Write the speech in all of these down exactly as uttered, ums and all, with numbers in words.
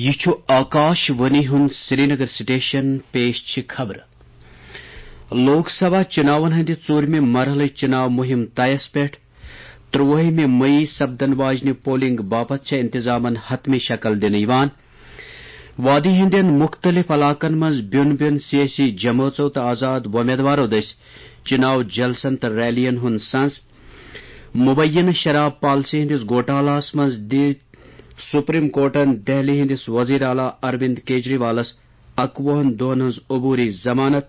یہِ چھُ آکاش وانی ہُنٛد سرینگر سٹیشن، پیش چھِ خبرٕ۔ لوک سبھا چُناون ہٕنٛدِ ژوٗرمہِ مرحلٕچ چُناو مُہِم طیَس پٮ۪ٹھ۔ ترٛوٲہِمہِ مئی سپدن واجنہِ پولنگ باپتھ چھےٚ انتظامن حتمی شکل دِنہٕ یِوان۔ وادی ہٕنٛدٮ۪ن مُختٔلِف علاقن منٛز بیوٚن بیوٚن سیٲسی جمٲژو تہٕ آزاد وۄمیدوارو دٔسۍ چُناو جلسن تہٕ ریلین ہُنٛد سنز۔ مبینہٕ شراب پالیسی ہٕنٛدِس گوٹالاہس منٛز دِتۍ سپریم کورٹن دہلی ہٕنٛدِس وزیر اعلیٰ اروند کیجریوالس اَکوُہن دۄہن ہٕنٛز عبوری ضمانت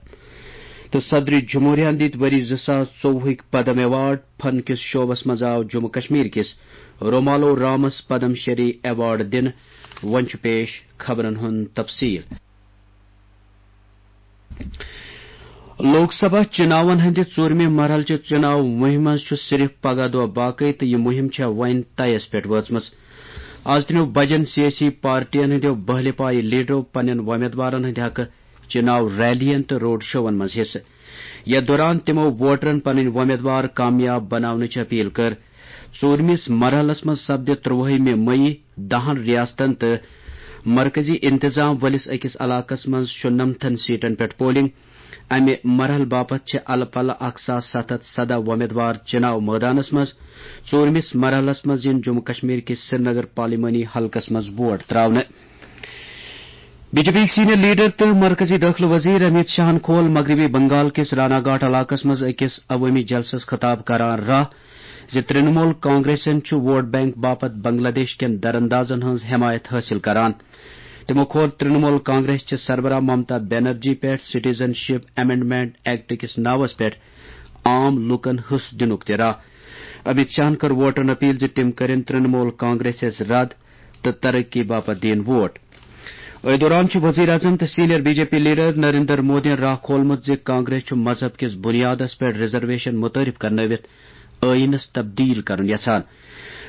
تہٕ صدر جمہوریہن دِتۍ ؤری زٕ ساس ژوٚوُہٕکۍ پدم ایوارڈ۔ فن کِس شعبس منٛز آو جموں کشمیر کِس رومالو رامس پدم شری ایوارڈ دِنہٕ۔ وۄنۍ چھُ پیش خبرن ہُنٛد تفصیل۔ لوک سبھا چُناون ہٕنٛدِ ژوٗرمہِ مرحلہٕ چہِ چُناو مُہِمہِ منٛز چھُ صرف پگاہ دۄہ باقٕے تہٕ یہِ مُہِم چھےٚ وۄنۍ طیَس پٮ۪ٹھ وٲژمٕژ۔ از ترٛٮ۪و بجن سیٲسی پارٹین ہٕنٛدیو بٔہلہِ پایہِ لیڈرو پننٮ۪ن وۄمیدوارن ہٕنٛدِ حقہٕ چُناو ریلین تہٕ روڈ شوون منٛز حصہٕ۔ یتھ دوران تِمو ووٹرن پنٕنۍ وۄمیدوار کامیاب بناونٕچ اپیل کٔر۔ ژوٗرمِس مرحلس منٛز سپدِ ترٛوٲہِمہِ مئی دَہن ریاستن تہٕ مرکزی انتظام وٲلِس أکِس علاقس منٛز شُنمتھن سیٹن پٮ۪ٹھ پولنگ۔ امہِ مرحلہٕ باپتھ چھِ الہٕ پلہٕ اکھ ساس ستھ ہتھ سدہ وۄمیدوار چُناو مٲدانس منٛز۔ ژوٗرمِس مرحلس منٛز یِن جموں کشمیر کِس سرینگر پارلیمانی حلقس منٛز ووٹ تراونہٕ۔ B J P senior leader تہٕ مرکزی دٲخلہٕ وزیر امیت شاہن کھول مغربی بنگال کِس رانا گھاٹ علاقس منٛز أکِس عوٲمی جلسس خطاب کران راہ زِ ترنمول کانگریسن چھُ ووٹ بینک باپتھ بنگلہ دیش کٮ۪ن دراندازن ہٕنٛز حمایت حٲصِل کران۔ تِمو کھول ترنمول کانگریس چہِ سربراہ ممتا بنرجی پٮ۪ٹھ سٹیزن شپ امینڈمنٹ ایکٹ کِس ناوس پٮ۪ٹھ عام لوٗکن حصہٕ دِنُک تہِ راہ۔ امیت شاہن کٔر ووٹرن اپیل زِ تِم کٔرِن ترنمول کانگریسس رد تہٕ ترقی باپتھ دِیِن ووٹ۔ أتھۍ دوران چھُ وزیر اعظم تہٕ senior B J P leader Narendra مودیَن راہ کھولمُت زِ کانگریس چھُ مذہب کِس بنیادس پٮ۪ٹھ ریزرویشن متعارف کرنٲوِتھ ٲیٖنس تبدیل کرُن یژھان۔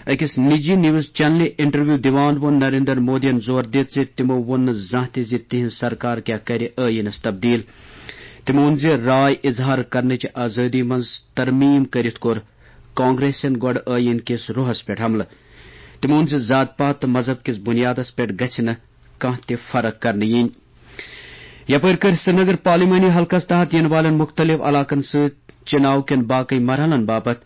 أکِس نجی نیوز چینلہِ انٹرویو دِوان ووٚن نریندر مودیَن زور دِتھ زِ تِمو ووٚن نہٕ زانٛہہ تہِ زِ تِہنٛز سرکار کیٛاہ کرِ ٲیٖنس تبدیل۔ تِمو ووٚن زِ راے اظہار کرنٕچ آزٲدی منٛز ترمیم کٔرِتھ کوٚر کانگریسن گۄڈٕ ٲیٖن کِس روحس پٮ۪ٹھ حملہٕ۔ تِمو ووٚن زِ ذات پات تہٕ مذہب کِس بنیادس پٮ۪ٹھ گژھِ نہٕ کانٛہہ تہِ فرق کرنہٕ یِنۍ۔ یپٲرۍ کٔرۍ سرینگر پارلیمانی حلقس تحت یِنہٕ والٮ۪ن مُختٔلِف علاقن سۭتۍ چُناو کٮ۪ن باقٕے مرحلن باپتھ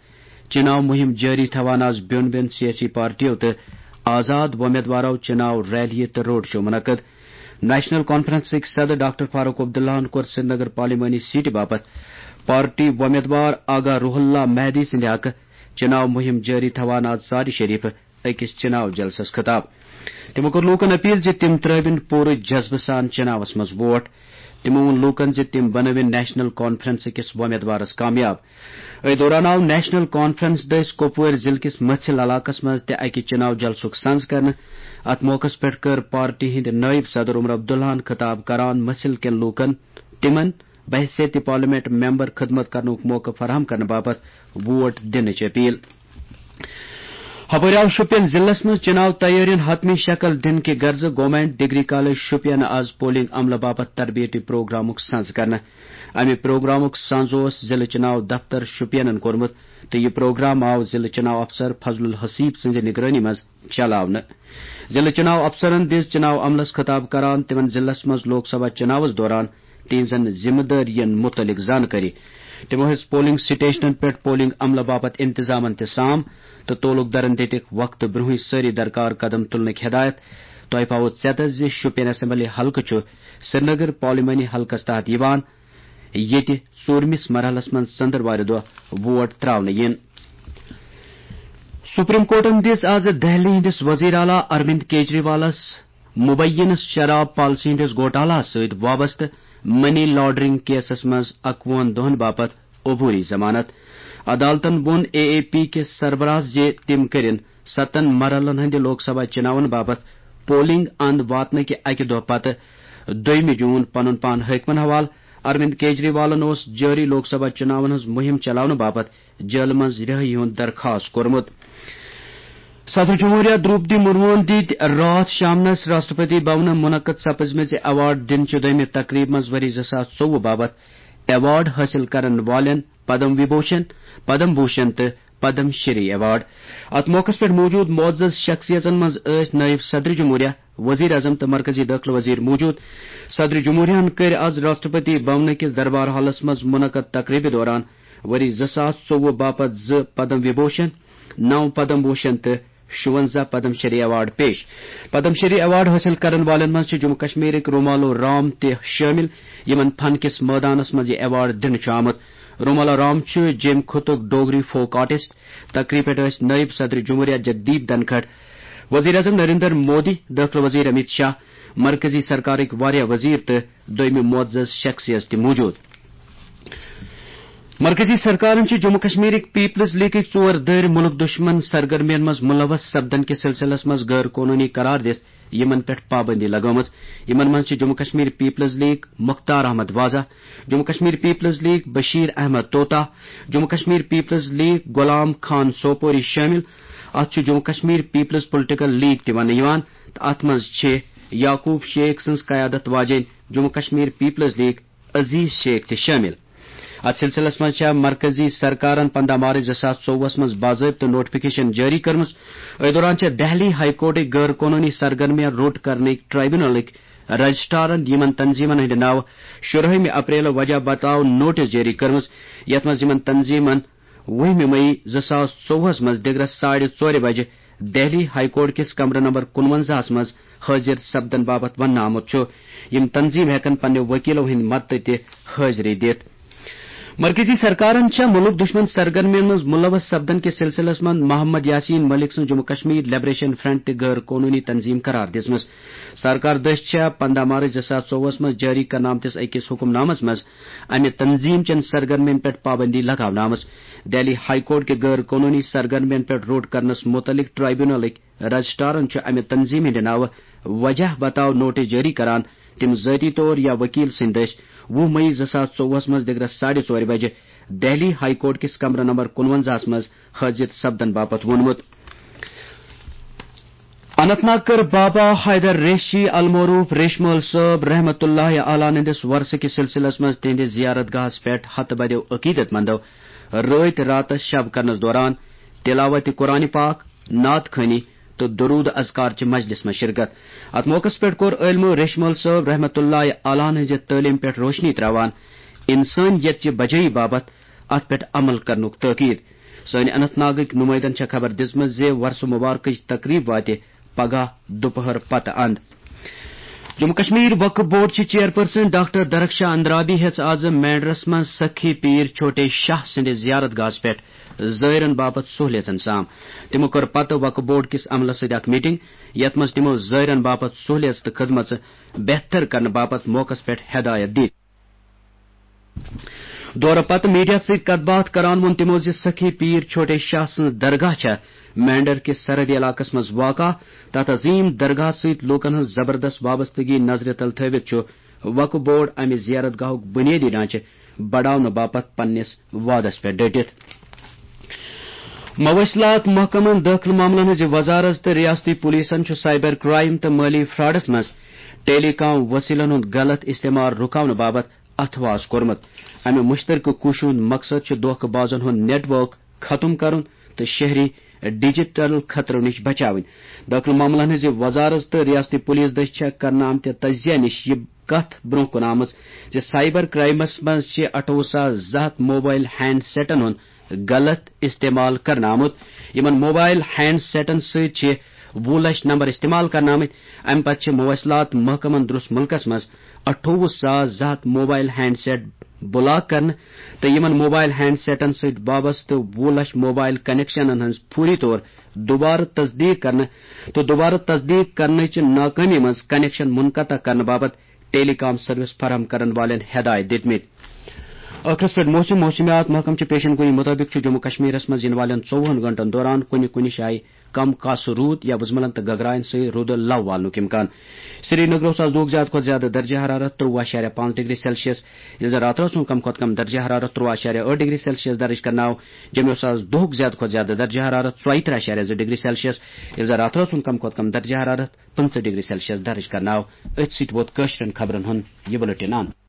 چُناو مُہِم جٲری تھاوان آز بیوٚن بیوٚن سیٲسی پارٹیو تہٕ آزاد وۄمیدوارو چُناو ریلیہِ تہٕ روڈ شو منعقد۔ نیشنل کانفرنسٕکۍ صدر ڈاکٹر فاروق عبداللہَن کوٚر سرینگر پارلیمانی سیٹہِ باپتھ پارٹی وۄمیدوار آغا روح اللہ مہدی سٕنٛدِ حقہٕ چُناو مُہِم جٲری تھاوان آز ژارِ شریفہٕ أکِس چُناو جلسس خطاب۔ تِمو کوٚر لوٗکن اپیل زِ تِم ترٲوِن پوٗرٕ جذبہٕ سان چُناوس منٛز ووٹ۔ تِمو ووٚن لوٗکن زِ تِم بنٲوِن نیشنل کانفرنس أکِس وۄمیدوارس کامیاب۔ أتھۍ دوران آو نیشنل کانفرنس دٔسۍ کۄپوٲرۍ ضلعہٕ کِس مٔژھِل علاقس منٛز تہِ اکہِ چُناو جلسُک سنز کرنہٕ۔ اتھ موقعس پٮ۪ٹھ کٔر پارٹی ہٕنٛدۍ نٲیِب صدر عمر عبداللہَن خطاب کران مٔژھِل کٮ۪ن لوٗکن تِمن بحیثیت پارلیمنٹ ممبر خدمت کرنُک موقعہٕ فراہم کرنہٕ باپتھ ووٹ دِنٕچ اپیل۔ ہپٲرۍ آو شوپین ضلعس منٛز چُناو تیٲرین حتمی شکل دِنہٕ کہِ غرضہٕ گورنمنٹ ڈگری کالج شوپین آز پولنگ عملہٕ باپتھ تربیتی پروگرامُک سنز کرنہٕ۔ امہِ پروگرامُک سنز اوس ضلعہٕ چُناو دفتر شوپینن کوٚرمُت تہٕ یہِ پروگرام آو ضلعہٕ چُناو افسر فضل الحسیب سٕنزِ نگرٲنی منٛز چلاونہٕ۔ ضلعہٕ چُناو افسرن دِژ چُناو عملس خطاب کران تِمن ضلعس منٛز لوک سبھا چُناوس دوران تِہنزن ذمہٕ دٲرین مُتعلق زانکٲری۔ تِمو ہیٚژ پولنگ سٹیشنن پٮ۪ٹھ پولنگ عملہٕ باپتھ انتظامن تہِ سام تہٕ تعلق دارن دِتِکھ وقتہٕ برونٛہٕے سٲری درکار قدم تُلنٕکۍ ہدایت۔ تۄہہِ پاوو ژیتس زِ شوپین اسمبلی حلقہٕ چھُ سرینگر پارلیمانی حلقس تحت یِوان، ییٚتہِ ژوٗرمِس مرحلس منٛز ژٔنٛدٕروارِ دۄہ ووٹ تراونہٕ یِن۔ سپریم کورٹن دِژ آز دہلی ہٕنٛدِس وزیر اعلیٰ اروند کیجریوالس مبینہ شراب پالیسی ہٕنٛدِس گوٹالاہس سۭتۍ وابستہٕ منی لانڈرنگ کیسس منٛز اَکوُہن دۄہن باپتھ عبوری ضمانت۔ عدالتن ووٚن اے اے پی کِس سربراہس زِ تِم کٔرِن ستن مرحلن ہٕنٛدِ لوک سبھا چُناون باپتھ پولنگ اند واتنہٕ کہِ اَکہِ دۄہ پتہٕ، دوٚیمہِ جون، پنُن پان حٲکمن حوالہٕ۔ اروند کیجریوالن اوس جٲری لوک سبھا چُناون ہٕنٛز مُہِم چلاونہٕ باپتھ جیلہٕ منٛز رِہٲیی ہُنٛد درخاست کوٚرمُت۔ صدر جمہوریہ دروپدی مرموہن دِتۍ راتھ شامنس راشٹرپتی بھونہٕ منعقد سپزمٕژِ ایوارڈ دِنہٕ چہِ دوٚیمہِ تقریبہِ منٛز ؤری زٕ ساس ژوٚوُہ باپتھ ایوارڈ حٲصِل کرن والٮ۪ن پدم وبھوشن، پدم بھوشن تہٕ پدم شری ایوارڈ۔ اتھ موقعس پٮ۪ٹھ موجود معزز شخصیژن منٛز ٲسۍ نٲیِب صدر جمہوریہ، وزیر اعظم تہٕ مرکزی دٲخلہٕ وزیر موجود۔ صدر جمہوریہن کٔرۍ آز راشٹرپتی بھونہٕ کِس دربار ہالس منٛز منعقد تقریبہِ دوران ؤری زٕ ساس ژوٚوُہ باپتھ زٕ پدم وبھوشن، نو پدم بھوشن تہٕ شُونٛزاہ پدم شری ایوارڈ پیش۔ پدم شری ایوارڈ حٲصِل کرن والٮ۪ن منٛز چھِ جموں کشمیرٕکۍ رومالو رام تہِ شٲمِل، یِمن فن کِس مٲدانس منٛز یہِ ایوارڈ دِنہٕ چھُ آمُت۔ رومالو رام چھُ جیٚمۍ خطُک ڈوگری فوک آرٹسٹ۔ تقریب پٮ۪ٹھ ٲسۍ نٲیِب صدر جمہوریہ جگدیپ دھنکھڑ، وزیر اعظم نریندر مودی، دٲخلہٕ وزیر امیت شاہ، مرکزی سرکارٕکۍ واریاہ وزیر تہٕ دوٚیمہِ معزز شخصیژ تہِ موجود۔ مرکزی سرکارن چھِ جموں کشمیرٕکۍ پیپلز لیگٕکۍ ژور دٔرۍ مُلک دُشمن سرگرمین منٛز ملوث سپدن کِس سلسلس منٛز غٲر قونوٗنی قرار دِتھ یِمن پٮ۪ٹھ پابندی لگٲومٕژ۔ یِمن منٛز چھِ Jammu Kashmir people's league Mukhtar Ahmad Waza, Jammu Kashmir people's league Bashir Ahmad Tota, Jammu Kashmir people's league Ghulam Khan Sopori شٲمِل۔ اتھ چھُ Jammu Kashmir people's political league تہِ وننہٕ یِوان تہٕ اتھ منٛز چھِ یعقوب شیخ سٕنٛز قیادت واجیٚنۍ جموں کشمیر پیپلز لیگ عزیز شیخ تہِ شٲمِل۔ اتھ سلسلس منٛز چھےٚ مرکزی سرکارن پنٛداہ مارچ زٕ ساس ژوٚوُہس منٛز باضٲبطہٕ نوٹیفکیشن جٲری کٔرمٕژ۔ أتھۍ دوران چھےٚ دہلی ہائی کورٹٕکۍ غٲر قونوٗنی سرگرمیاں روٚٹ کرنٕکۍ ٹرائبیونلٕکۍ رجسٹرارن یِمن تنظیمن ہٕنٛدِ ناوٕ شُرہٲمہِ اپریل وجہ بتاو نوٹس جٲری کٔرمٕژ، یتھ منٛز یِمن تنظیمن وُہمہِ مئی زٕ ساس ژوٚوُہس منٛز دِگرس ساڑِ ژورِ بجہِ دہلی ہائی کورٹ کِس کمرٕ نمبر کُنونزاہس منٛز حٲضِر سپدن باپتھ وننہٕ آمُت چھُ۔ یِم تنظیٖم ہٮ۪کن پننہِ وکیلو ہٕنٛدِ مدتہٕ تہِ حٲضری دِتھ۔ مرکزی سرکارن چھےٚ مُلک دُشمن سرگرمین منٛز ملوث سپدن کِس سلسلس منٛز محمد یاسین ملک سٕنٛز جموں کشمیر لبریشن فرنٹ تہِ غٲر قونوٗنی تنظیٖم قرار دِژمٕژ۔ سرکار دٔسۍ چھےٚ پنٛداہ مارچ زٕ ساس ژوٚوُہس منٛز جٲری کرنہٕ آمتِس أکِس حُکم نامس منٛز امہِ تنظیٖم چٮ۪ن سرگرمین پٮ۪ٹھ پابندی لگاونہٕ آمٕژ۔ دہلی ہائی کورٹ کہِ غٲر قونوٗنی سرگرمین پٮ۪ٹھ روٚٹ کرنس مُتعلق ٹرائبیونلٕکۍ رجسٹرارن چھُ امہِ تنظیٖم ہٕنٛدِ ناوٕ وجہ بتاو نوٹس جٲری کران۔ تِم ذٲتی طور یا وکیل سٕنٛدۍ دٔسۍ وُہ مئی زٕ ساس ژوٚوُہس منٛز دِگرس ساڑِ ژورِ بجہِ دہلی ہائی کورٹ کِس کمرٕ نمبر کُنونزاہس منٛز حٲضِر سپدن باپتھ ووٚنمُت۔ اننت ناگ کٔر بابا حیدر ریشی المعروف ریشمٲلۍ صٲب رحمتہ اللہ علیہ ہٕنٛدِس ورثہٕ کِس سلسلس منٛز تِہنٛدِس زیارت گاہس پٮ۪ٹھ ہتہٕ بدیو عقیدت مندو رٲتۍ راتس شب کرنس دوران تلاوت قرآن پاک، نعت خوانی تہٕ درود اذکار چہِ مجلس منٛز شرکت۔ اتھ موقعس پٮ۪ٹھ کوٚر عٲلمو ریشمٲلۍ صٲب رحمتہ اللہ علیہ ہٕنٛزِ تعلیٖم پٮ۪ٹھ روشنی تراوان انسٲنیت چہِ بجٲیی باپتھ اتھ پٮ۪ٹھ عمل کرنُک تٲکید۔ سٲنۍ اننت ناگٕکۍ نمٲیندن چھےٚ خبر دِژمٕژ زِ ورثہٕ مبارکٕچ تقریب واتہِ پگاہ دُپہر پتہٕ اند۔ جموں کشمیر وقف بورڈ چہِ چیئرپرسن ڈاکٹر درخشاں اندرابی ہیژ آز مینڈرس منٛز سخی پیر چھوٹے شاہ سٕنٛدِس زیارت گاہس پٮ۪ٹھ زائرن باپتھ سہولیژن سام۔ تِمو کٔر پتہٕ وقف بورڈ کِس عملس سۭتۍ اکھ میٹنگ، یتھ منٛز تِمو زائرن باپتھ سہولیژ تہٕ خدمژٕ بہتر کرنہٕ باپتھ موقعس پٮ۪ٹھ ہدایت دِتۍ۔ دورٕ پتہٕ میڈیا سۭتۍ کتھ باتھ کران ووٚن تِمو زِ سخی پیر چھوٹے شاہ سٕنٛز درگاہ چھےٚ مینڈر کِس سرحدی علاقس منٛز واقع۔ تتھ عظیم درگاہ سۭتۍ لوٗکن ہٕنٛز زبردست وابستگی نظرِ تل تھٲوِتھ چھُ وقف بورڈ امہِ زیارت گاہُک بنیٲدی ڈھانچہٕ بڑاونہٕ باپتھ پننِس وعدس پٮ۪ٹھ ڈٔٹِتھ۔ مواصلات محکمن، دٲخلہٕ معاملن ہٕنٛزِ وزارت تہٕ ریاستی پولیسن چھُ سائبر کرائم تہٕ مٲلی فراڈس منٛز ٹیلی کام وسیلن ہُنٛد غلط استعمال رُکاونہٕ باپتھ اتھواس کوٚرمُت۔ امہِ مشترکہٕ کوٗششہِ ہُنٛد مقصد چھُ دھوکہٕ بازن ہُنٛد نیٹ ورک ختم کرُن تہٕ شہری ڈیجیٹل خطرو نِش بچاوٕنۍ۔ دٲخلہٕ معاملن ہٕنٛزِ وزارت تہٕ ریاستی پولیس دٔسۍ چھےٚ کرنہٕ آمتہِ تجزیہ نِش یہِ کتھ برونٛہہ کُن آمٕژ زِ سائبر کرائمس منٛز چھِ اَٹھووُہ ساس زٕ ہَتھ موبائل ہینڈ سیٹن ہُنٛد غلط استعمال کرنہٕ آمُت۔ یِمن موبائل ہینڈ سیٹن سۭتۍ چھِ وُہ لچھ نمبر استعمال کرنہٕ آمٕتۍ۔ امہِ پتہٕ چھِ مواصلات محکمن درست مُلکس منٛز اَٹھووُہ ساس زٕ ہَتھ موبائل ہینڈ سیٹ بلاک کرنہٕ تہٕ یِمن موبائل ہینڈ سیٹن سۭتۍ وابستہٕ وُہ لچھ موبائل کنیکشنن ہٕنٛز فوری طور دوبارٕ تصدیق کرنہٕ تہٕ دوبارٕ تصدیق کرنٕچہِ ناکٲمی منٛز کنیکشن منقطع کرنہٕ باپتھ ٹیلی کام سروس فراہم کرن والٮ۪ن ہدایت دِتمٕتۍ۔ ٲخرس پٮ۪ٹھ موسم۔ موسمیات محکمہٕ چہِ پیشن گوئی مُطٲبِق چھُ جموں کشمیرس منٛز یِنہٕ والٮ۪ن ژوٚوُہن گھنٹن دوران کُنہِ کُنہِ جایہِ کم کاسہٕ روٗد یا وُزملن تہٕ گگراین سۭتۍ روٗدٕ لو والنُک امکان۔ سری نگر اوس آز دۄہُک زیادٕ کھۄتہٕ زیادٕ درجہ حرارت ترٛواہ اَشاریہ پانٛژھ ڈگری سیلسیس، ییٚلہِ زن راتہٕ رٲژ ہُنٛد کم کھۄتہٕ کم درجہ حرارت ترٛواہ اَشاریہ ٲٹھ ڈگری سیلسیس درج کرنہٕ آو۔ جوٚمہِ اوس آز دۄہُک زیادٕ کھۄتہٕ زیادٕ درجہ حرارت ژۄیہِ ترٕٛہ اَشاریہ زٕ ڈگری سیلسیس، ییٚلہِ زن راتہٕ رٲژ ہُنٛد کم کھۄتہٕ کم درجہ حرارت پٕنٛژٕہ ڈگری سیلسیس درج کرنہٕ آو۔ أتھۍ سۭتۍ ووت کٲشرٮ۪ن خبرن ہُنٛد یہِ بُلٹن اند۔